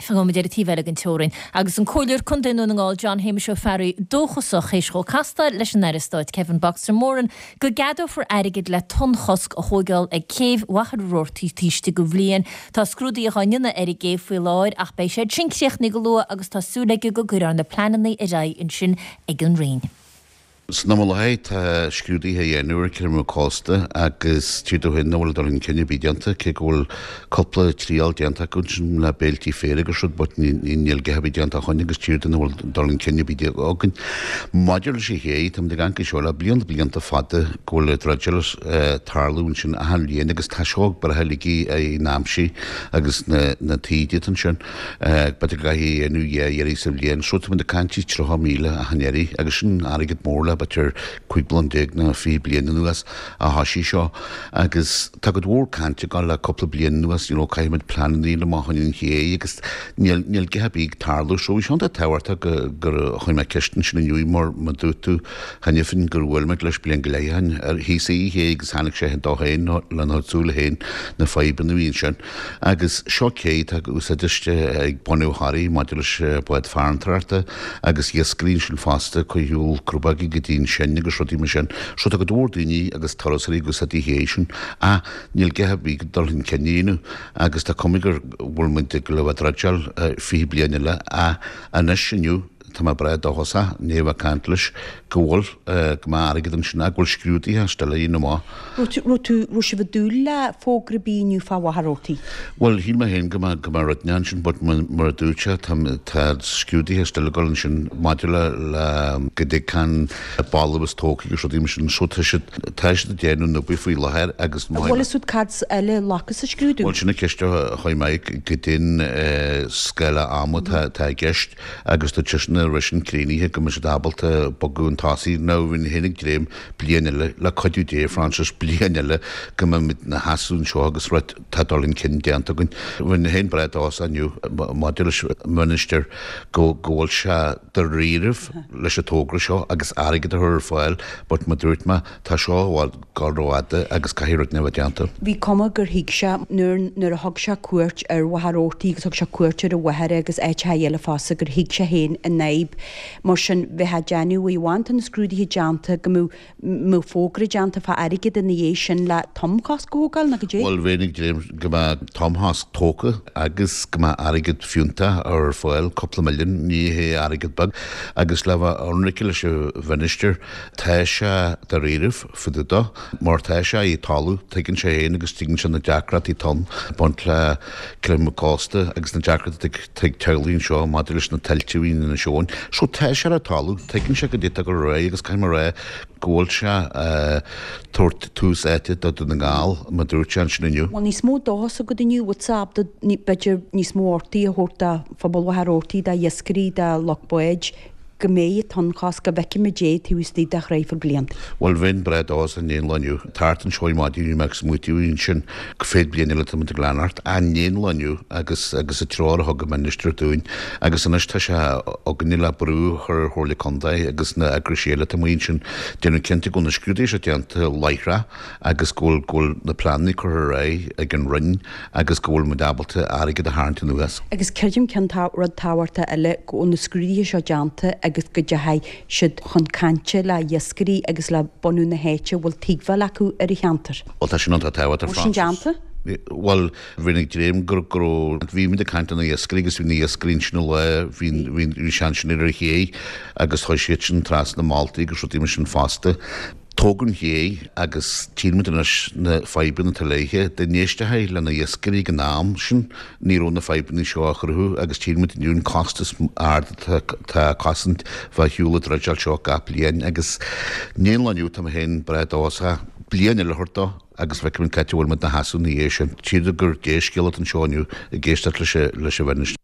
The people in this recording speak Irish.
Fágfaidh muid ar an taobh eile den teorainn agus an Comhairleoir Contae i nDún na nGall John Shéamuis Ó Fearraigh dóchasach théis dhó castáil leis an Aire Stáit Kevin Boxer Moran go gceadófar airgead le tonnchosc a thóigeáil ag céibh Mhachaire Rabhartaigh taobh istigh de bhliain. Tá scrúduithe á ndéanamh ar an gcéibh faoi láthair ach beidh siad sin críochnaithe go luath agus tá súil aige go gcuirfear na pleananna ar aghaidh ansin ag an Roinn. San am i láthair tá scrúduithe á dhéanamh ar chreimeadh cósta agus tchítear domh féin nach bhfuil dul chun cinn ar bith déanta, cé go bhfuil cúpla triail déanta acu ansin le béiltí féir agus rud but níl a dhath ar bith déanta ó shoin agus tchítear dom nach bhfuil dul chun cinn ar bith againn. Maidir leis an ché, táimid ag amharc air seo le blianta blianta fada go bhfuil druideáil ag tarlú ansin achan bhliain agus tá seo ag breith uilig an aimsir agus na taoide atá ansin. B'fhéidir go gcaithfí é a dhéanamh dhá iarraidh sa bhliain. So táimid ag caint 30,000 achan iarraidh agus sin airgead mór le b'fhéidir 15 bliain nó 20 bliain anuas a thoisigh seo. Agus tá cuid mhór cainte ag dul le cúpla bliain anuas, you know, caithfimid pleananna a dhéanamh amach chun an ché agus níl, níl a dhath ar bith ag tarlú. So bhí sé iontach tábhachtach go, gur chuir mé ceist ansin inniu mar mar dúirt tú cheana féin gur bhuail muid leis bliain go leith ó shin ar thíos an ché agus chonaic sé dó féin lena chuid súile féin na fadhbanna a bhí ansin. Agus seo cé atá ag úsáid uisce ag bunadh Thoraí maidir leis bád farantóireachta agus iascairí ansin fosta, ag cur ar shiúl crobógaí go dtí an Sinn agus rudaí mar sin. So tá cuid mhór daoine agus turasóirí ag úsáid an ché sin. Ach níl a dhath ar bith dul chun cinn a dhéanamh agus tá cuma gur bhfuil muid ag le bheith ag druideáil 20 bliain eile ach anois inniu tá mé breá dóchasach, i ndiaidh a bheith ag caint leis, go bhfuil, go mbeidh airgead ansin ach go bhfuil scrúduithe still á dhéanamh amach. Raibh tú, raibh sibh ag dúil le fógra ar bith inniu fá Mhachaire Rabhartaigh? Bhuel, shíl mé féin go mbeadh, go mbeadh rud inteacht ansin but mar a dúirt sé, tá, tá scrúduithe still ag dul ansin maidir le, le go dtig an balbh is tógtha agus rudaí mar sin so tá siad, tá siad ag déanamh na oibre faoi láthair agus má. Bhfuil fhios agat cad eile a ghlacas sa scrúdú? Bhuel, sin an ceist a chuir mé, goidé an scála ama atá i gceist. agus tá seisean a raibh sin críochnaithe go mbeidh siad ábalta bogadh chun tosaigh. Now bheinn féin ag dréim bliain eile, le cuidiú Dé, Francis, bliain eile go mbeimid 'na sheasamh anseo agus rud tá dul chun cinn déanta againn. Bheinn féin breá dóchasach inniu maidir leis an Minister go go bhfuil sé dáiríribh leis an togra seo agus airgead a chur ar fáil but mar dúirt mé tá seo i bhfad dul rófhada agus caithfidh rud inteacht a bheith déanta. Bhí cuma gur thuig sé nuair nuair a thug sé cuairt ar Mhachaire Rabhartaigh agus thug sé cuairt ar an Mhachaire agus áiteacha eile fosta gur thuig sé féin an fhadhb. Mar sin, bheifeá ag déanamh uaidh amháin tá na scrúduithe déanta go mbeadh mbeadh fógra déanta fá airgead ina dhiaidh sin le tonnchosc a thógáil nó goidé. Bhuel, bheinn ag dréim go mbeadh tonnchosc tógtha agus go mbeadh airgead fiúntach ar fáil, cúpla milliún, ní hé airgead beag, agus le bheith ionraice leis an Mhinistir, Tá sé dáiríribh fá dtaobh dó, mar tá sé ar talamh, tuigeann sé féin agus tuigeann sé na deacrachtaí atá ann ag baint le creimeadh cósta agus na deacrachtaí atá ag teaghlaigh anseo maidir leis na tuilte a bhí in Inis Eoghain. So tá sé ar talamh, tuigeann sé goidé atá ag dul ar aghaidh agus caithfidh mé a rá go bhfuil sé ag tabhairt tús áite do Dhún na nGall, mar dúirt sé ansin inniu. Bhfuil níos mó dóchas agat inniu, bhfuil tú ábalta b'fhéidir níos mó ordaithe a thabhairt do phobal Mhachaire Rabhartaigh, d'iascairí, do lucht báid, go mbeidh an tonnchosc, go bhfeicfimid é taobh istigh de thraidhfil blianta. Bhuel, bheinn breá dóchasach in aon lá inniu. Thart anseo ar maidin bhí mé ag smaoitiú ansin go féad bliain eile tá muid ag leanacht in aon lá inniu agus agus an treoir a thug an Minister dúinn agus anois tá sé againne le brú a chur ar Chomhairle Contae agus na eagraisí eile atá amuigh ansin déanamh cinnte go bhfuil na scrúduithe seo déanta láithreach agus go bhfuil go bhfuil na pleananna curtha ar aghaidh ag an Roinn agus go bhfuil muid ábalta airgead a tharraingt anuas. Agus creidim ceann rud tábhachtach eile, go bhfuil na scrúduithe seo déanta agus go dteachaidh siad chun cainte le iascairí agus le bunadh na háite a bhfuil tuigbheáil acu ar an cheantar. Bhuel, tá sin iontach tábhachtach, Bhfuil sin Frances. déanta? Bhuel, bhínn ag dréim go raibh, bhí muid ag caint le na iascairí agus bhí na iascairí ansin an lá, bhí, bhí, bhí sé ansin ar an ché agus chuaigh siad sin trasna Máltaí agus rudaí mar sin fosta. Tógadh an ché agus tchíonn muid anois na fadhbanna atá léithe. Dá n-éistfeá le na iascairí ag an am sin ní raibh na fadhbanna seo á chruthú agus tchíonn muid inniu an costas ard atá ag cosaint bheith ar shiúl an druideáil seo gach bliain agus in aon lá inniu tá mé féin breá dóchasach bliain eile a thabhairt dó agus feicfimid cá háit a bhfuil muid 'na sheasamh ina dhiaidh sin. Tchítear gur dea-scéal atá anseo inniu ag éisteacht leis an Mhinistir.